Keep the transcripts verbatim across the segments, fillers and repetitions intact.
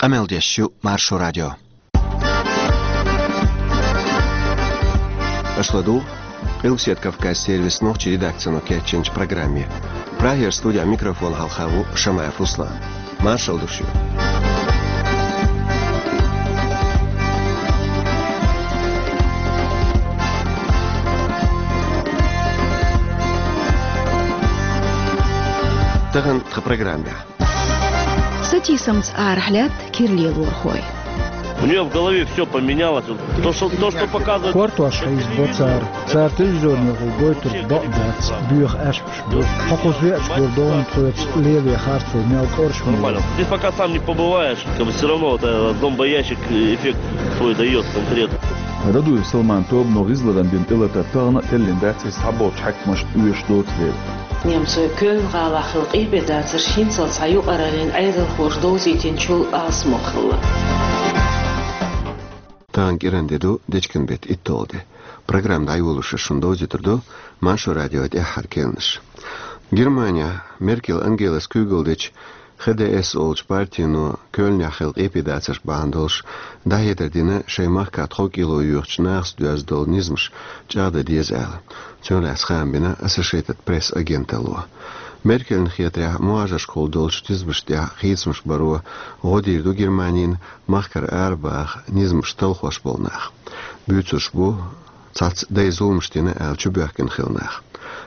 Къамел деш ю Маршо радио. Аша ладугӀу Къилбаседа Кавказан сервисан нохчийн редакцино кечйинчу программе. Прагера студин микрофона хьалха ву Шамаев Руслан. Маршалла ду шуьга. Тахана тхан программехь. Сатийсамца арахь лаьтта кира лелорхой. У неё в голове всё поменялось. Вот то, что, то, что показывают... Кортош хьийзабо цара. Цара телевизорехула гойтург бакъ дац, боьха аьшпаш бу. Хьо кхуза веача гур догӀун тхоьца лело харцо мел кӀоршам бу. Нормально. Здесь пока сам не побываешь, как бы всё равно вот, э, зомбоящик, э, эффект свой даёт конкретно. Радуев Салман тобано гӀизларан дина тӀелатар тахана а теллина дац, иза цхьаболчу хьаькамашна оьшуш доцу дела. Немцойн Кёльн-гӀалахь хилла къепедацарш хӀинццалц цхьа юкъараллин Ӏедалхоша довзийтинчул алсамох хилла. Тахана кӀиранде ду, дечкен беттан итталгӀа де. Программа дӀайолош шуна довзуьйтур ду Маршо радион тӀаьххьара кхаьънаш. Германехь Меркель Ангелас куьйгалла дечу Х Д С олучу партино Кёльнехь хилла къепедацарш бахьана долуш дӀахьедар дина шайн махкахь тхов кӀело йоьхучу нахаца доьзна долу низамаш чӀагӀдан деза аьлла. Цунах лаьцна хаам бина Associated Press агенталло. Меркельна хетарехь, мухӀажаршкахула долчу низамашна тӀехь хийцамаш баро гӀо дийр ду Германина махкара арабаха низамаш талхош болу нах. Буьйцурш бу цхьацца дайн зуламаш дина аьлла чубоьхкина хилла нах.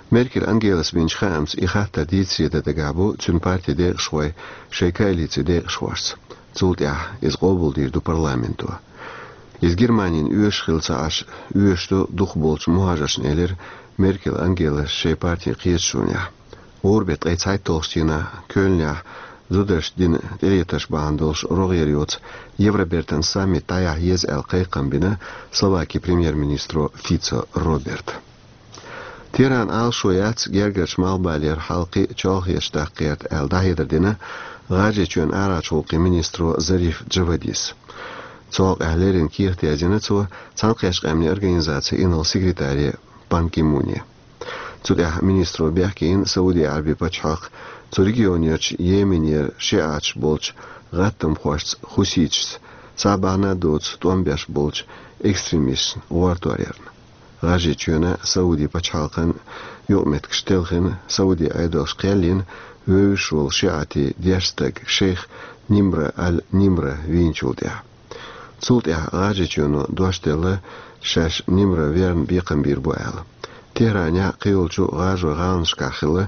Меркель Ангелас бинчу хаамца и хаттар дийцаре дан дагахь бу цуьнан партин декъашхой шайн коалицин декъашхошца. Цул тӀаьхьа иза къобалдийр ду парламенто. Иза Германина оьшуш хилла ца Ӏаш, оьшуш ду дукхахболчу мухӀажаршна, элира Меркель Ангелас шайн партин кхеташонехь. ГӀуран беттан ткъе цхьайтталгӀачу дийнахь Кёльнехь зударшна дина тӀелатарш бахьана долуш рогӀера йоцу Евробертан саммит дӀаяхьа еза аьлла кхайкхам бина Словакин премьер-министро Фицо Роберта. Тегеран Ӏалашо яц гергарчу малхбалера хьал кхин а чолхечу даккха гӀерта аьлла дӀахьедар дина ГӀажарийчоьнан арахьарчу гӀуллакхийн министро Зариф Джавадис. Цу хьокъехь леррина кехат яздина цо Цхьаьнакхеттачу Къаьмнийн Организацин инарла-секретаре Пан Ги Муне. Цу тӀехь министро бехке йина Сауди Ӏаьрбийн пачхьалкх цу регионерчу Йеменера шиӀаташ болчу гӀаттамхошца, хуситашца, цхьа а бахьана доцу тӀом беш болчу экстремисташна гӀортор ярна. ГӀажарийчоьнан, Сауди пачхьалкхан юкъаметтигаш телхина Сауди Ӏедалша кхел йина вевзаш волу шиӀатийн дешна стаг шейх Нимра аль-Нимра вийначул тӀаьхьа. Цул тӀаьхьа ГӀажарийчоьно дош делла, шаьш Нимра верна бекхам бийр бу аьлла. Тегеранехь а, кхийолчу гӀажарийн гӀаланашкахь а хилла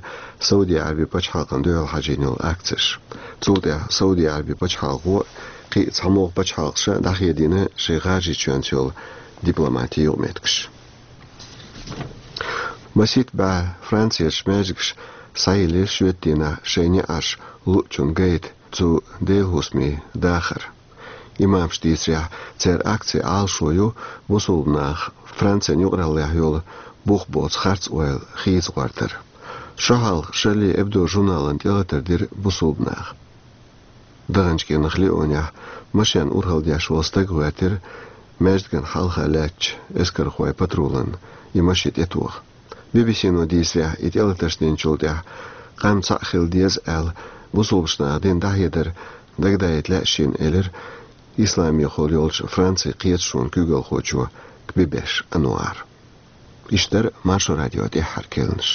Сауди Ӏаьрбийн пачхьалкхана дуьхьал хьажийна йолу акцеш. Цул тӀаьхьа Сауди Ӏаьрбийн пачхьалкхо а, кхин а цхьамогӀа пачхьалкхаша а дӀахедийна шайн ГӀажарийчоьнца йолу дипломатин юкъаметтигаш. Масийтта бӀе Францерчу маьждигаш схьайиллира шоьтан дийнахь шайн неӀарш луучунна гайта цу Делан хӀусамийн дахар. Имамаша дийцарехь, церан акцин Ӏалашо ю бусулба нах Францин юкъараллехь йолу бух боцу харц ойла хийца гӀортар. Шо хьалха Шарли Эбдо журнална тӀелатар дира бусулба наха. ДагӀанчу кӀирнах Лионехь машен урхалла деш волу стаг гӀоьртира маьждигна хьалха лаьттачу эскархойн патрулна и машен тӀетоха. Би-би-сино дийцарехь, и тӀелатарш динчул тӀаьхьа къам цхьаъ хила деза аьлла, бусулбачу наха дина дӀахьедар дагадаийта лаьа шена, элира исламехула йолчу Францин кхеташонан куьйгалхочо Кбибеш Ануара. Иштта дара Маршо радион тӀаьххьара кхаьънаш.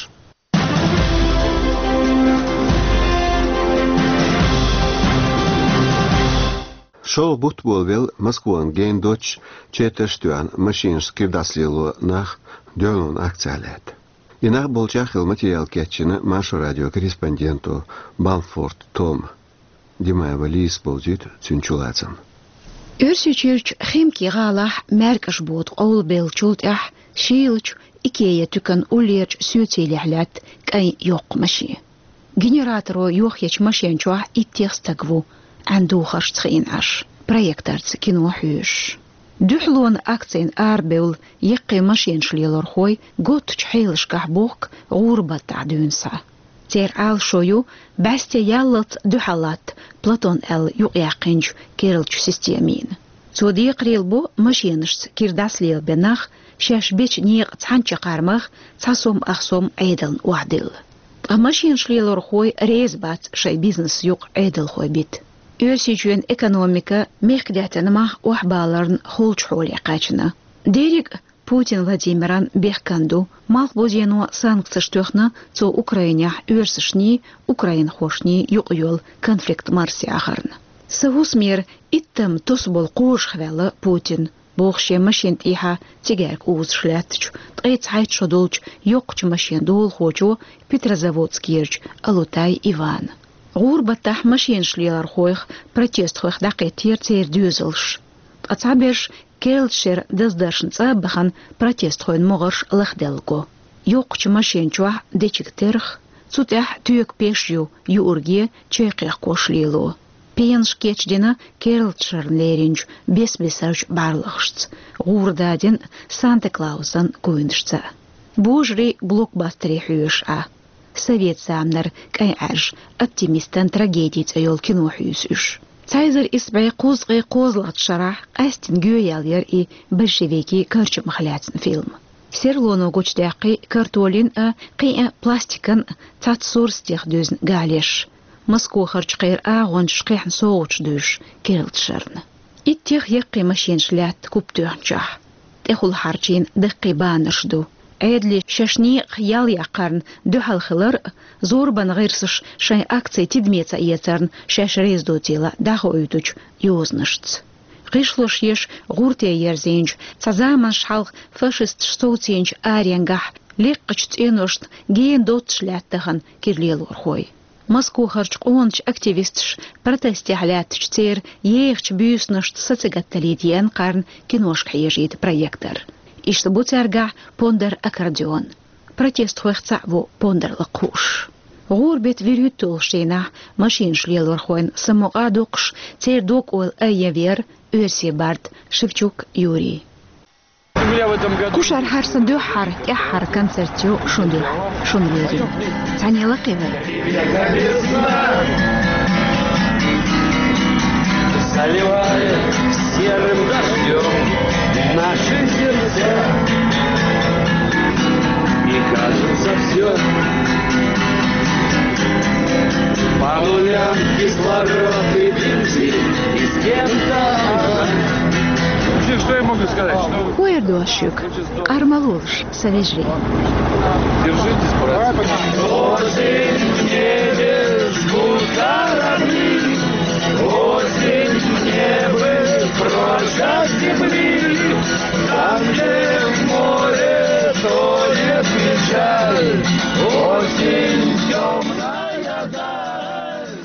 ШолгӀа бутт болавелла Москвана гена доццуш, четарш а тоьхна, машенашца кира дӀасалело нах дуьхьалонан акцехь лаьтта. И нах болчех хилла материал кечйина Маршо радион корреспонденто Бамфорт Тома. Димаева Лизас бовзуьйту цуьнан чулацам. Оьрсийчуьрчу Химки гӀалахь маьркӀаж бода къовлабеллачул тӀаьхьа шийлачу Икеа туьканан уллерачу соьцалехь лаьтта кӀайн йоккха машен. Генераторо йохъечу машен чохь иттех стаг ву, Ӏаьнан духаршца хиъна Ӏаш, проекторца кино хьоьжуш. Дуьхьалонан акцина арабевлла яккхий машенаш лелорхой готтачу хьелашкахь бохку гӀуран баттахь дуьйна схьа. Церан Ӏалашо ю бӀаьсте яллалц дуьхьал латта Платон аьлла юкъаяьккхинчу керлачу системина. Цо декхарийлабо машенашца кира дӀасалелабен нах шаьш бечу некъан цхьана чаккхармах цхьа сом ах сом Ӏедална охьадилла. Ткъа машенаш лелорхой реза бац шайн бизнес юкъа Ӏедалхой бита. Оьрсийчоьнан экономика мехкдаьттан мах охьабаларна холчу хьоле кхаьчна. Дерриг а Путин Владимиран бехкан ду, малхбузено санкцеш тоьхна цо Украинехь оьрсашний, украинхошний юкъа йолу конфликт марсаяхарна. Сан хӀусамера иттам тосу болу кхожахваьлла Путин, боху шен машина тӀехьа цигаьрка узуш лаьттачу, ткъе цхьайтта шо долчу йоккхачу машенан долахочо Петрозаводскерчу Алутай Ивана. ГӀуран баттахь машенаш лелорхойх, протестхойх дӀакхеттера церан доьзалш. Ткъа цхьаберш керлачу шеран даздаршна цӀа а бахана протестхойн могӀарш лахделла го. Йоккхачу машен чохь дечиг терхь, цу тӀехь тоька пеш ю юург, чай кхехкош лело. Пенаш кечдина керлачу шарна леринчу бес-бесарчу бӀарлагӀашца, гӀура дадина Санта-Клаусан куйнашца. Божарий блокбастере хьоьжуш Ӏа. Совет заманара кӀайн Ӏаьржа «Оптимистан трагеди» цӀе йолу кино хьуьйсу уьш. Цхьа эзар исс бӀе кхузткъе кхозлагӀчу шарахь къаьстина гоьяьлла яра и большевикийн карчамах лаьцна фильм. Серлоно гучудаьккхи картолин а, кхин а пластикан а цхьацца сурсатех дуьзна галеш. Москохарчу кхеран агӀончаша кхехьна совгӀаташ дуьйш керлачу шарна. Иттех яккхий машенаш лаьтта куп тоьхначохь. ТӀехула хьарчийна даккхий баннерш ду. Ӏедале шаьш некъах ял яккхарна дуьхьал хилар а, зорбан гӀирсаша шайн акци тидаме ца эцарна шаьш реза доцийла дӀахоуьйтучу йозанашца. ГӀишлош еш гӀурте ерзийначу, цхьа заманаш хьалха фашисташа совцийначу аренгахь лекхачу цӀеношна гена доццуш лаьтта тахана кира лелорхой. Москохарчу къоначу активисташа протестехь лаьттачу церан ехачу буьйсанашца сацигатталийта еана кхарна киношка хьежийта проектор. Иштта бу цаьргахь пондар аккордеон. Протестхойх цхьаъ ву пондар лакха хууш. ГӀуран беттан вуьрхӀитталгӀачу дийнахь машенаш лелорхойн самукъа а доккхуш, церан дог-ойла айъина веара оьрсийн бард Шевчук Юрий. Кху шарахь хӀара сан дуьххьара, тӀаьххьара концерт ю шун дуьхьа, шуна лерина. Цхьаьна лакхе вай. Заливает серым дождём наши сердца. И кажется, всё по нулям, кислород и бензин, и с кем-то. Вообще, что я могу сказать? Что вы... Хьо эр дош шуьга? Къармалолаш, сан вежарий. Держитесь, братцы. Осень в небе жгут корабли, осень в небе прочь от земли. Там, где в море тонет печаль, осень тёмная даль.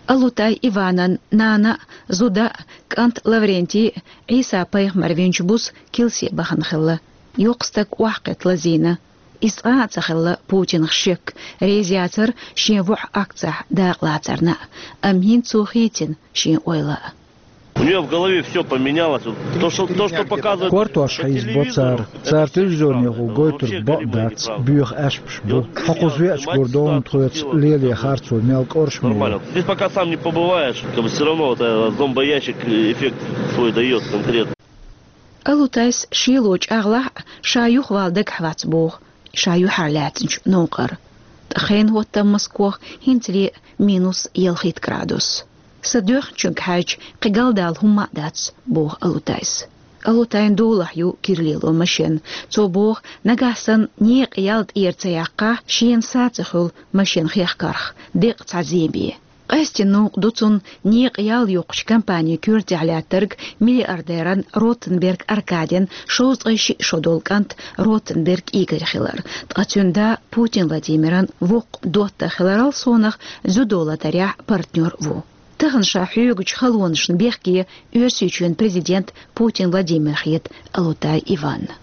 Алутай Иванан нана а, зуда а, кӀант Лаврентий а Ӏийса-пайхамар винчу буса килсе бахана хилла. Йоккха стаг охьакхетта лазийна. Иза цкъа а ца хилла Путинах шек, реза яцара шен воӀ акцехь дакъалацарна а, амма хӀинца цо хийцина шен ойла а. У неё в голове всё поменялось. Вот то, что, то, что показывают по телевизору, это всё неправда. Кортош хьийзабо цара. Цара телевизорехула гойтург бакъ дац, боьха аьшпаш бу. Хьо кхуза веача гур ду хьуна тхоьца леле харцо мел кӀоршаме. Нормально. Здесь пока сам не побываешь, как бы всё равно вот, э, зомбоящик эффект свой даёт конкретно. Алутайс шело чӀагӀлахь а, ша юхавала дагахь вац боху, ша юьхьарлаьцначу новкъара. Ткъа хенан хӀоттам Москох хӀинцале минус ялхитта градус. Сан доьхначуьнга хьаьжча, кхин галдала хӀумма а дац, боху Алутайс. Алутайн долахь ю кира лело машен. Цо боху, нагахь санна некъан ял тӀера ца яккхахь, шена са ца хуьлу машен хехкарх, декъа цхьа зен бен. Къаьстина новкъа ду цунна некъан ял йоккхучу компанин коьртехь лаьттарг, миллиардеран Ротенберг Аркадин шовзткъе шиъ шо долу кӀант Ротенберг Игорь хилар. Ткъа цуьнан да Путин Владимиран воккха доттагӀа хиларал совнах дзюдо латарехь партнер ву. Тахана ша хьоьгучу халонашна бехке Оьрсийчоьнан президент Путин Владимир хета Алутай Иванна.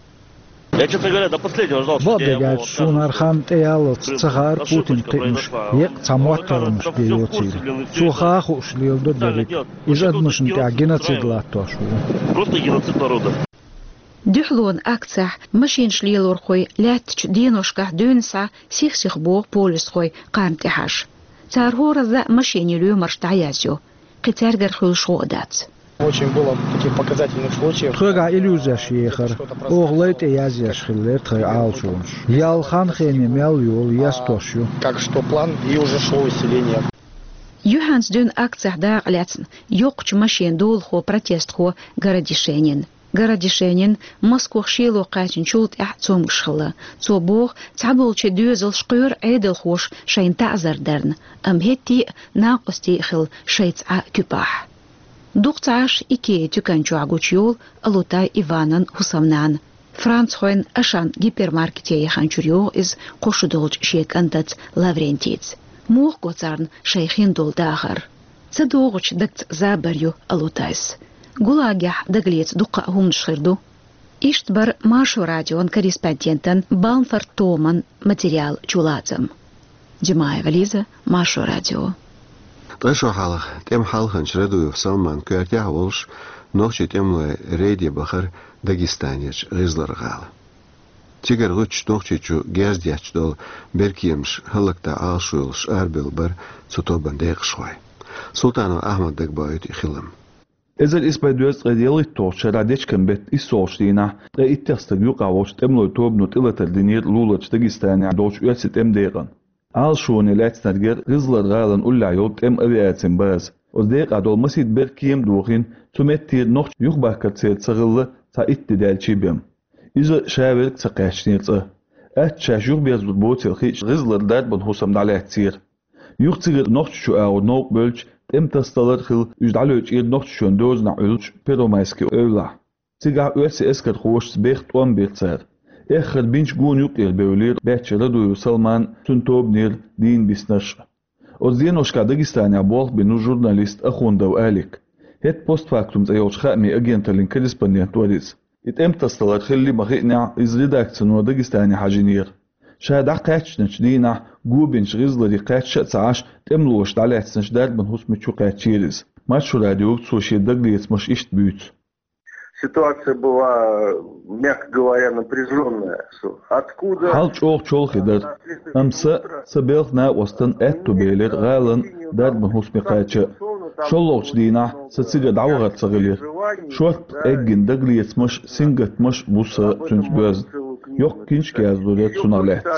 Я, честно говоря, до последнего ждал, что... Бакъдерг аьлча, суна хӀара хан тӀеяллалц ца хаьара Путинан кхиамаш еккъа цхьа моттаргӀанаш бен йоцийла. Цо хан хууш леладо дерриг. Иза адамашна тӀехь геноцид латтош ву. Просто геноцид народа. Дуьхьалонан акцехь машенаш лелорхой лаьттачу деношкахь дуьйна схьа сих-сиха боху полисхой кхарна тӀехьажа. Цара хӀоразза а машенийн лоьмарш дӀаязйо. Кхин цаьргара хуьлуш гӀо а дац. Очень было таких показательных случаев. Тхоьгахь иллюзеш ехара. Оха лай тӀе язъеш хиллера тхайн Ӏалашонаш. Ял хан-хене мел йолу естош ю. Как что план, и уже шло усиление. Юьхь ХӀанз дуьйна акцехь дакъа лаьцна йоккхачу машенийн долахо, протестхо Городишенин. Городишенин Москох шело кхаьчначул тӀаьхьа цомгуш хилла. Цо боху, цхьаболчийн доьзалш кхоьру Ӏедалхоша шайна таӀзар дарна, амма хӀетте а, накъостий а хилла шайца Ӏа куьпахь. Дукха ца Ӏаш Икеа туькан чохь гучу йолу Алутай Иванан хӀусамнана. Францхойн Ашан гипермаркете яханчуьра йогӀу иза кхо шо долчу шен кӀантаца Лаврентийца. Муха го царна шайн хин долу дахар? Ца догӀучу дагца забар ю Алутайс. ГУЛАГехь дагалеца дуккха а хӀуманаш хир ду. Иштта бара Маршо радион корреспондентан Балмфорд Томан материал чулацам. Димаева Лиза, Маршо радио. Ткъа шо хьалха тӀеман хьалханча Радуев Салман коьртехь а волуш, нохчийн тӀемалой рейде бахара Дагестанерчу ГӀизлар-гӀала. Цигара гӀуьттуш Нохчийчу герз детташ долу беркеманаш хӀаллакдан Ӏалашо йолуш арабевлла бара цу тобанан декъашхой. Султанов Ахьмада дагабоуьйту и хилам. Эзар исс бӀе дезткъе ялхитталгӀачу шарахь дечкен беттан иссолгӀачу дийнахь ткъе иттех стаг юкъахь волчу тӀемалойн тобано тӀелатар динера луларчу Дагестанехь долчу оьрсийн тӀеман декъана. Ӏалашоне лаьцнарг яра ГӀизлар-гӀалин уллехь йолу тӀеман авиацин база. Оцу декъахь долу масийтта беркема а дохийна, цу меттера нохчий юхабахкар церан ца хилла цхьа итт де даьлчий бен. Иза ша верг а ца кхаьчнера цкъа. Атта шаьш юхаберзор боцийла хиъча, ГӀизлара дарбан хӀусам дӀалаьцнера. Юха цигара Нохчийчу агӀор новкъа бевлча, тӀеман тасадалар а хилла, уьш дӀалечкъира Нохчийчоьнан дозанехь Ӏуьллучу Первомайски эвлахь. Цигахь оьрсийн эскархошца беха тӀом бира цара. Эххар бинчу гонан юккъера бевлира баьчча Радуев Салман, цуьнан тобанера дийна биснарш а. Оцу деношкахь Дагестанехь болх бина ву журналист Ахундов Алик. ХӀетахь «Постфактум» цӀе йолчу хаамийн агенталлин корреспондент вара иза. И тӀеман тасадалар хилли ма-хиънехь, иза редакцино Дагестане хьажийнера. Ша дӀакхаьчначу дийнахь го бинчу ГӀизларе кхаьчча а ца Ӏаш, тӀемалоша дӀалаьцначу дарбан хӀусаме чу кхаьчнера иза. Маршо радиога цо шен дагалецамаш иштта буьйцу. Ситуация была, мягко говоря, напряжённая. Откуда... Хьал чӀогӀа чолхе дара. Амма сан, сан белхан накъостан аьтто белира гӀалина дарбан хӀусаме кхача. ШолгӀачу дийнахь сан цигара дӀавахар ца хилира. Шортта къеггина дагалецамаш, сингаттамаш а бу сан цуьнца боьзна. Йоккха киншка яздора цунах лаьцна.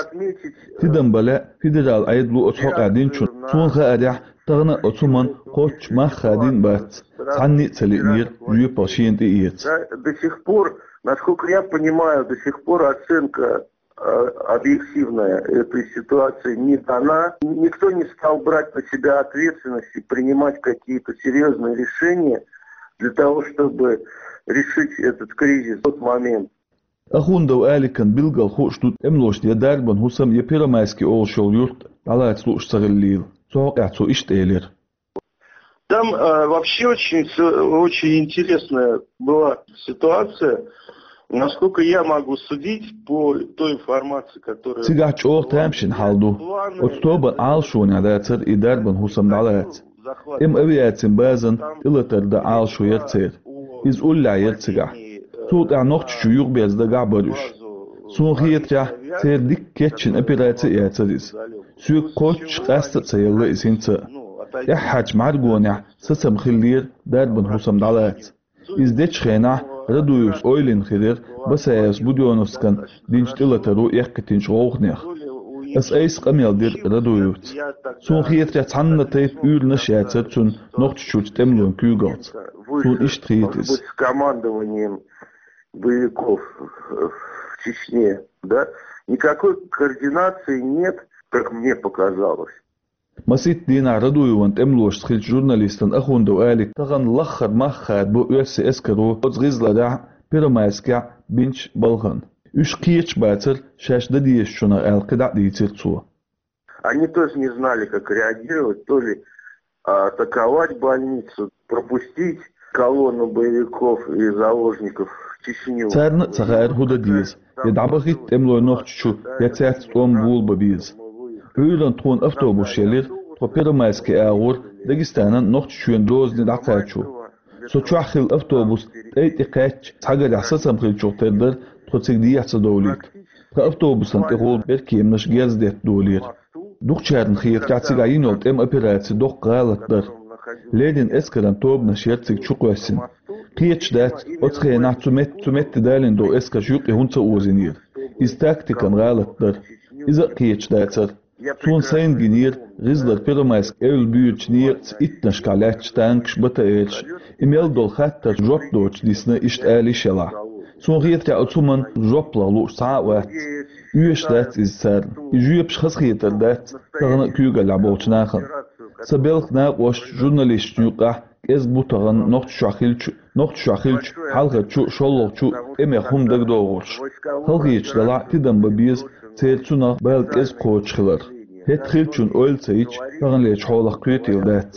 Тидам бан лаьа федералан Ӏедало оцу хьокъехь динчунна. Суна хаарехь, тахана оцу хӀуманна кхоччуш мах хадийна бац, цхьанне а ца лиънера жоьпалла шена тӀеэца. Да, до сих пор, насколько я понимаю, до сих пор оценка, э, объективная этой ситуации не дана. Никто не стал брать на себя ответственность и принимать какие-то серьёзные решения для того, чтобы решить этот кризис в тот момент. Ахундов Аликна билггал хууш ду тӀемалошна я дарбан хӀусам, я Первомайски олуш йолу юрт дӀалаца лууш ца хиллийла. Цу хьокъехь цо иштта элира. Там, э, вообще очень, с-, очень интересная была ситуация. Насколько я могу судить по той информации, которая... Цигахь чӀогӀа тамашийна хьал ду. Оцу тобанан Ӏалашонехь дацара и дарбан хӀусам дӀалаца. ТӀеман авиацин базана тӀелатар дан Ӏалашо яра церан. Иза уллехь яра цигахь. Цул тӀаьхьа Нохчийчу юхаберза дагахь бара уьш. Суна хетарехь, церан дика кечйина операци а яцара иза. Соьга кхоччуш къаста а ца елла иза хӀинца а. ТӀаьххьарчу мӀаьргонехь сацам хиллера дарбан хӀусам дӀалаца. Иза дечу хенахь Радуевс ойлина хир яра Басаевс Будённовскана динчу тӀелатаро эккхийтинчу гӀовгӀанех. Аса айса къамел дира Радуевца. Суна хетарехь, цхьанна тайпа уьйранаш яцара цуьнан Нохчийчуьрчу тӀемалойн куьйгаллица. Суна иштта хета иза. С командованием боевиков в Чечне, да, никакой координации нет, как мне показалось. Масийтта дийнахь Радуевн тӀемалошца хиллачу журналистан Ахундов Алика тахана лаххара мах хадабо оьрсийн эскаро оцу ГӀизларехь, Первомайскехь бинчу балхана. Уьш кхеташ бацара шаьш дан дезачунах аьлла, кхидӀа а дийцира цо. Они тоже не знали, как реагировать, то ли атаковать больницу, пропустить колонну боевиков и заложников в Чечню. Царна а ца хаьара хӀун дан деза, я дӀабахийта тӀемалой Нохчийчу, я цаьрца тӀом болабан беза. Ӏуьйранна тхуна автобус елира, тхо Первомайски агӀор Дагестанан Нохчийчоьнан дозане дӀакхачо. Со чохь хилла автобус тӀай тӀе кхаьчча, цхьагарехь сацам хиллачух тера дара тхо цига дехьа ца довлийта. Тхан автобусан тӀехула беркеманаш герз детта долийра. Дукхачарна хетарехь, цигахь йина йолу тӀеман операци доккха гӀалат дара. Леррина эскаран тобанаш яра цига чукхоьссина. Кхеташ дац, оцу хенахь цу метта, цу метте далийна долу эскарш юккъе хӀунда ца озийнера. Иза тактикан гӀалат дара. Иза а кхеташ дацара. Суна сайна гинера ГӀизлара Первомайск эвла буьйрачу некъаца иттанашкахь лаьтташ танкаш, БТР-ш. И мел долу хаттар жоп доцуш дисна, иштта ала йиш елахь. Суна хетарехь, оцу хӀуманна жоп лаха лууш цхьа а вац. Оьшуш дац иза царна. И жоьпаш хазахетар дац тахана а куьйгаллехь болчу нахана. Сан белхан накъосташна, журналисташна юкъахь кӀезиг бу тахана Нохчийчохь хиллачу, Нохчийчохь хиллачу хьалхарчу, шолгӀачу тӀемех хӀума дагадогӀурш. Халахеташ делахь а, тидам бан беза церан цунах бала кӀезиг кхочуш хилар. ХӀетахь хиллачун ойла ца йича, таханлерчу хьолах кхетийла дац.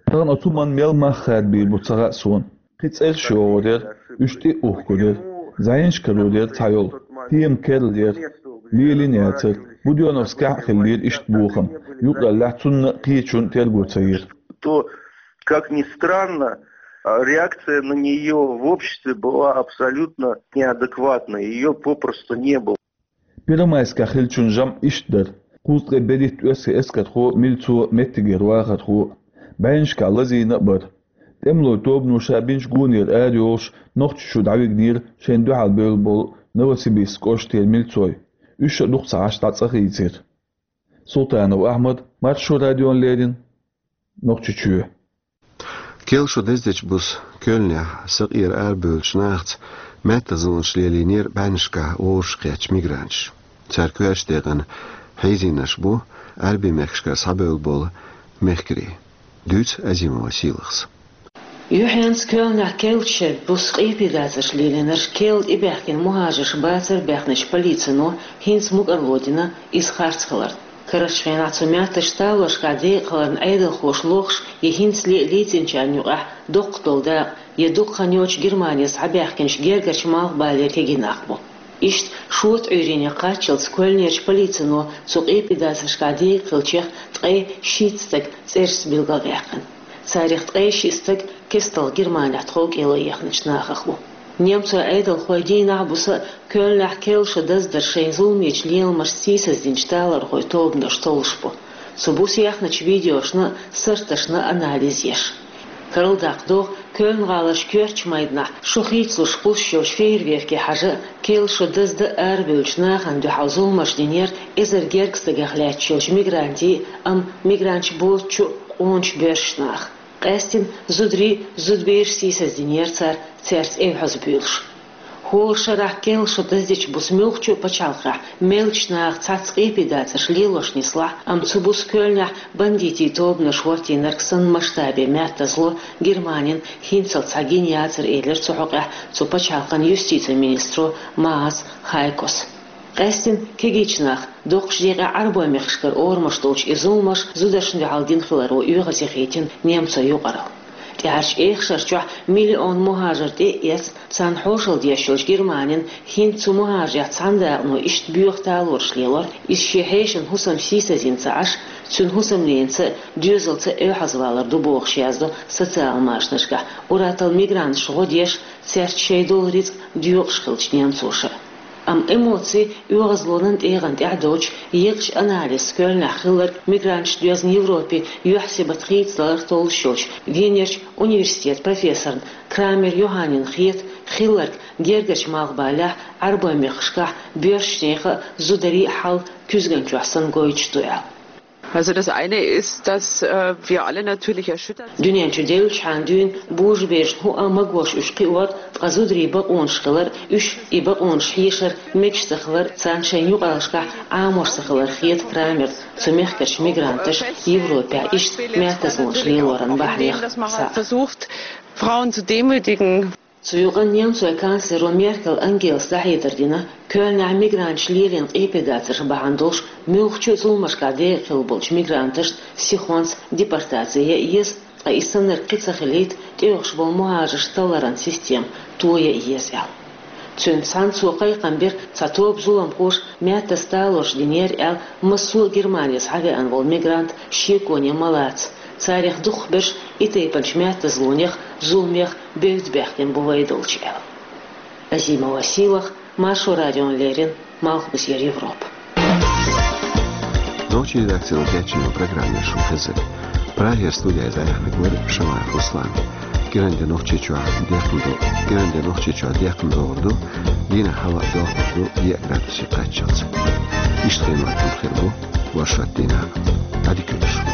Тахана оцу хӀуманна мел мах хадабийр бу ца хаьа суна. Кхин цӀераш йогӀур яра, уьш тӀе а ухкур яра. ЗӀенаш карор яра цхьайолу. Тема керла яра. Лелийна яцара. Будённовскехь а хиллера иштта бохам. Юкъараллехь цунна а, кхечунна а терго ца йира. То, как ни странно, а, реакция на неё в обществе была абсолютно неадекватной, её попросту не было. Первомайскехь хиллачун жамӀ иштта дара. Кхузткъе берхӀитта оьрсийн эскархо а, милцо а, меттигера вахархо а. БӀеннашкахь лазийна а бара. ТӀемалойн тобано ша бинчу гонера арайолуш, Нохчийчу дӀавигнера шайна дуьхьал бевлла болу Новосибирск кӀоштара милцой. Уьш а дукха ца Ӏаш дӀа цӀа хийцира. Султанов Ахьмад, Маршо радиона леррина, Нохчийчоь. Керла шо даздечу буса Кёльнехь сакъера арабевллачу нахаца маьттазлонаш лелийнера бӀеннашкахь вовшахкхеттачу мигранташа. Цара коьртачу декъана хьийзийнарш бу Ӏаьрбийн мехкашкара схьабевлла болу мехкарий. Дуьйцу Азимова Сийлахьас. Юьхьанца Кёльнехь керлачу шеран буса къепедацарш лелийнарш керла тӀебаьхкина мухӀажарш бацара баьхначу полицино, хӀинца мукӀарло дина иза харц хиларна. Карарчу хенахь цу метташа талоршкахь декъахиларна Ӏедалхоша лохуш я хӀинцале а лецначарна юкъахь доккха долу дакъа я дукха хан йоццуш Германе схьабаьхкинчу гергарчу малхбалера кегий нах бу. Иштта шота Ӏуьйренна кхаччалц Кёльнерчу полицино цу къепедацаршкахь декъахилчех ткъе шийтта стаг цӀерашца билгалдаьккхина. Царах ткъе шиъ стаг кестта Германехь тховкӀело ехначу нахах бу. Немцойн Ӏедалхой дийнахь а, буса а Кёльнехь керла шо даздар шайн зуламечу леламашца сийсаздинчу талорхойн тобанаш товлуш бу. Цу буса яьхначу видеошна а, сурташна а анализ еш. Карладаккха догӀу, Кёльн-гӀаларчу коьртачу майданахь шо хийцалуш кхуссуш йолчу фейерверке хьажа а, керла шо даздан а арабевллачу нахана дуьхьал зуламаш динера эзар гергга стагах лаьтташ йолчу мигрантийн а, амма мигранташ боцучу а къоначу боьршачу наха. Къаьсттина зударий а, зудабераш а сийсаздинера цара, цаьрца эвхьаза буьйлуш. ХӀора шарахь керла шо даздечу буса муьлххачу а пачхьалкхехь меллачу наха цхьацца къепедацарш лелош нислахь а, амма цу буса Кёльнехь бандитийн тобанаш хӀоттийнарг санна масштабе маьттазло Германина хӀинцалц схьа гина яцара, элира цу хьокъехь цу пачхьалкхан юстицин министро Маас Хайкос. Къаьсттина кегийчу наха доккхачу декъехь Ӏарбойн мехкашкара орамаш долчу и зуламаш зударшна дуьхьал дина хиларо оьгӀазе хийтина немцойн юкъаралла. ТӀаьхьарчу эха шарчохь миллион мухӀажар тӀе а эцна, царна хьошалла деш йолчу Германина хӀинца цу мухӀажарех цхьана дакъано иштта боьха талораш лелор, иза шен хьешан хӀусам сийсазйина ца Ӏаш, цуьнан хӀусамненца а, доьзалца а эвхьазвалар ду бохуш, яздо социалан машанашкахь ур-атталла мигранташна гӀо деш, цаьрца шайн долу рицкъ доькъуш хиллачу немцоша. Амма эмоци оьгӀазлонан тӀегӀан тӀехь доцуш, екъачу анализца Кёльнехь хилларг мигранташна доьзна Европе юьхь-сибат хийцадалар толлуш йолчу Венерчу университетан профессорна Крамер Йоханнина хета хилларг гергарчу малхбалехь, Ӏарбойн мехкашкахь боьршачу нехан а, зударийн а хьал куьзганчохь санна гойтуш ду аьлла. Also das eine ist, dass, äh, wir alle natürlich erschüttert sind. Дуьнен чу девллачхьана дуьйна божаберашна хӀуъа а магош уьш кхиор, ткъа зударийн бакъонаш хилар, уьш и бакъонаш хьешар мегаш ца хилар, царна шайн юкъараллашкахь Ӏамош ца хилар хета Крамерна цу мехкарчу мигранташа Европехь иштта маьттазлонаш лелоран бахьанех цхьаъ. Versucht, Frauen zu demütigen. Цу юкъанна немцойн канцлеро Меркель Ангелас дӀахьедар дина, Кёльнехь мигранташа лелийна къепедацарш бахьана долуш муьлххачу а зуламашкахь декъахилла болчу мигранташна сихонца депортаци ян еза, ткъа и саннарг кхин ца хилийта, тӀеоьхуш болу мухӀажарш талларан система тоян еза аьлла. Цуьнца цхьаьна цо кхайкхам бира, цхьа тоба зуламхоша маьттаза талораш динера аьлла, массо а Германе схьавеана волу мигрант шеконе ма лаца. Царах дукхахберш и тайпанчу маьттазлонех, зуламех бевдда баьхкина бу вай долчу аьлла. Азимова Сийлахь, Маршо радиона леррина, Малхбузера Европа. Нохчийн редакцино кечйина программа шуна хезира. Прагера студехь яьхнарг вара Шамаев Руслан. КӀиранде Нохчийчохь декхна ду. КӀиранде Нохчийчохь декхна догӀур ду. Дийнахь хӀаваъ дохур ду, еа градусе кхаччалц. Иштта хенахь хир бу. Ваша тина. Ади кутш.